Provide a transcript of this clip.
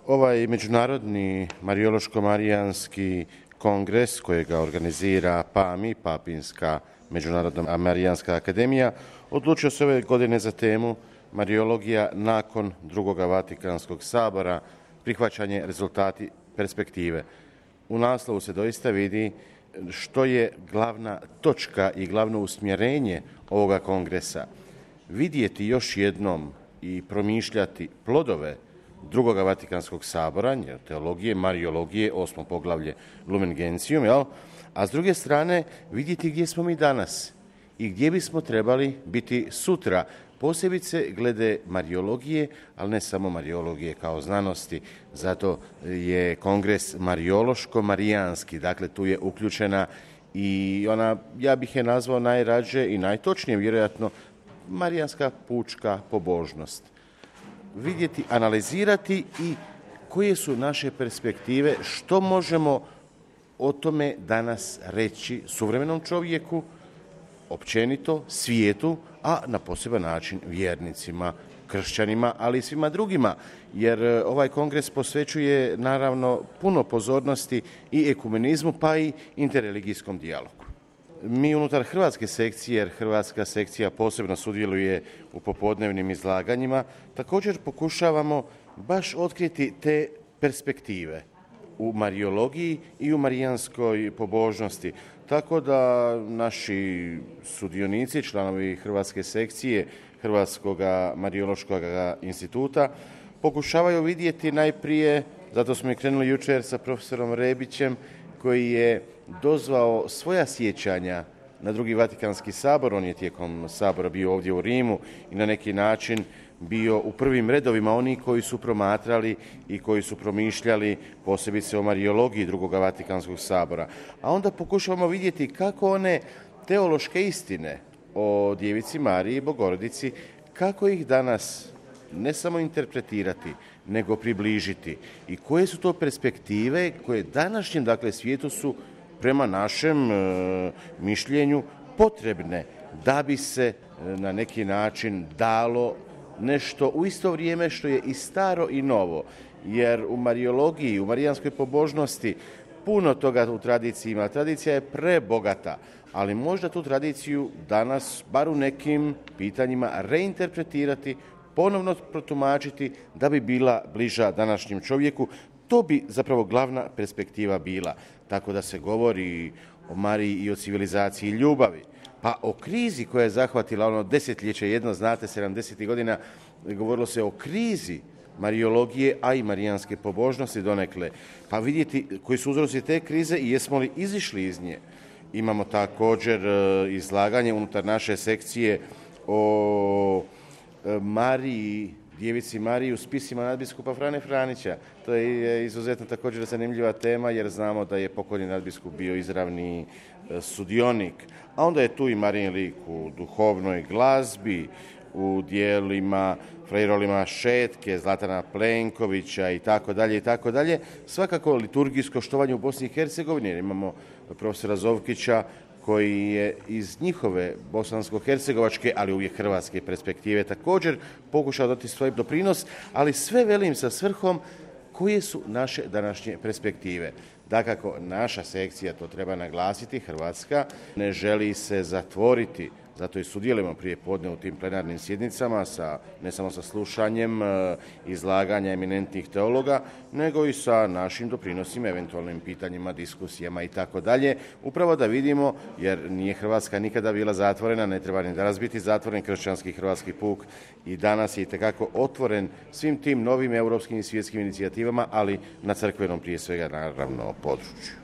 Ovaj međunarodni Marijološko-marijanski kongres kojega organizira PAMI, Papinska međunarodna marijanska akademija, odlučio se ove godine za temu Marijologija nakon drugog Vatikanskog sabora, prihvaćanje, rezultati, perspektive. U naslovu se doista vidi što je glavna točka i glavno usmjerenje ovoga kongresa. Vidjeti još jednom i promišljati plodove drugog Vatikanskog sabora, teologije, marijologije, 8. poglavlje Lumen Gentium, a s druge strane vidjeti gdje smo mi danas i gdje bismo trebali biti sutra, posebice glede marijologije, ali ne samo marijologije kao znanosti, zato je kongres marijološko-marijanski, dakle tu je uključena i ona, ja bih je nazvao najrađe i najtočnije vjerojatno, marijanska pučka pobožnost. Vidjeti, analizirati i koje su naše perspektive, što možemo o tome danas reći suvremenom čovjeku, općenito, svijetu, a na poseban način vjernicima, kršćanima, ali i svima drugima, jer ovaj kongres posvećuje naravno puno pozornosti i ekumenizmu, pa i interreligijskom dijalogu. Mi unutar hrvatske sekcije, jer hrvatska sekcija posebno sudjeluje u popodnevnim izlaganjima, također pokušavamo baš otkriti te perspektive u marijologiji i u marijanskoj pobožnosti. Tako da naši sudionici, članovi hrvatske sekcije Hrvatskog marijološkog instituta, pokušavaju vidjeti najprije, zato smo i krenuli jučer sa profesorom Rebićem, koji je dozvao svoja sjećanja na drugi Vatikanski sabor. On je tijekom sabora bio ovdje u Rimu i na neki način bio u prvim redovima oni koji su promatrali i koji su promišljali posebice o marijologiji drugog Vatikanskog sabora. A onda pokušavamo vidjeti kako one teološke istine o Djevici Mariji i Bogorodici, kako ih danas ne samo interpretirati, nego približiti i koje su to perspektive koje današnjem svijetu su prema našem mišljenju potrebne da bi se na neki način dalo nešto u isto vrijeme što je i staro i novo, jer u marijologiji, u marijanskoj pobožnosti puno toga u tradiciji ima. Tradicija je prebogata, ali možda tu tradiciju danas, bar u nekim pitanjima, reinterpretirati, ponovno protumačiti da bi bila bliža današnjem čovjeku. To bi zapravo glavna perspektiva bila. Tako da se govori o Mariji i o civilizaciji ljubavi. Pa o krizi koja je zahvatila ono desetljeće jedno, znate, 70. godina, govorilo se o krizi marijologije, a i marijanske pobožnosti donekle. Pa vidjeti koji su uzroci te krize i jesmo li izišli iz nje. Imamo također izlaganje unutar naše sekcije o Mariji, Djevici Mariji u spisima nadbiskupa Frane Franića. To je izuzetno također zanimljiva tema, jer znamo da je pokojni nadbiskup bio izravni sudionik. A onda je tu i Marijin lik u duhovnoj glazbi, u dijelima Frejrolima Šetke, Zlatana Plenkovića i tako dalje i tako dalje. Svakako liturgijsko štovanje u Bosni i Hercegovini, jer imamo profesora Zovkića koji je iz njihove bosansko-hercegovačke, ali uvijek hrvatske perspektive također pokušao dati svoj doprinos, ali sve velim sa svrhom koje su naše današnje perspektive. Dakako, naša sekcija, to treba naglasiti, Hrvatska, ne želi se zatvoriti, zato i sudjelujemo prije podne u tim plenarnim sjednicama, ne samo sa slušanjem izlaganja eminentnih teologa, nego i sa našim doprinosima, eventualnim pitanjima, diskusijama i tako dalje. Upravo da vidimo, jer nije Hrvatska nikada bila zatvorena, ne treba ni danas biti zatvoren kršćanski hrvatski puk i danas je itekako otvoren svim tim novim europskim i svjetskim inicijativama, ali na crkvenom prije svega naravno području.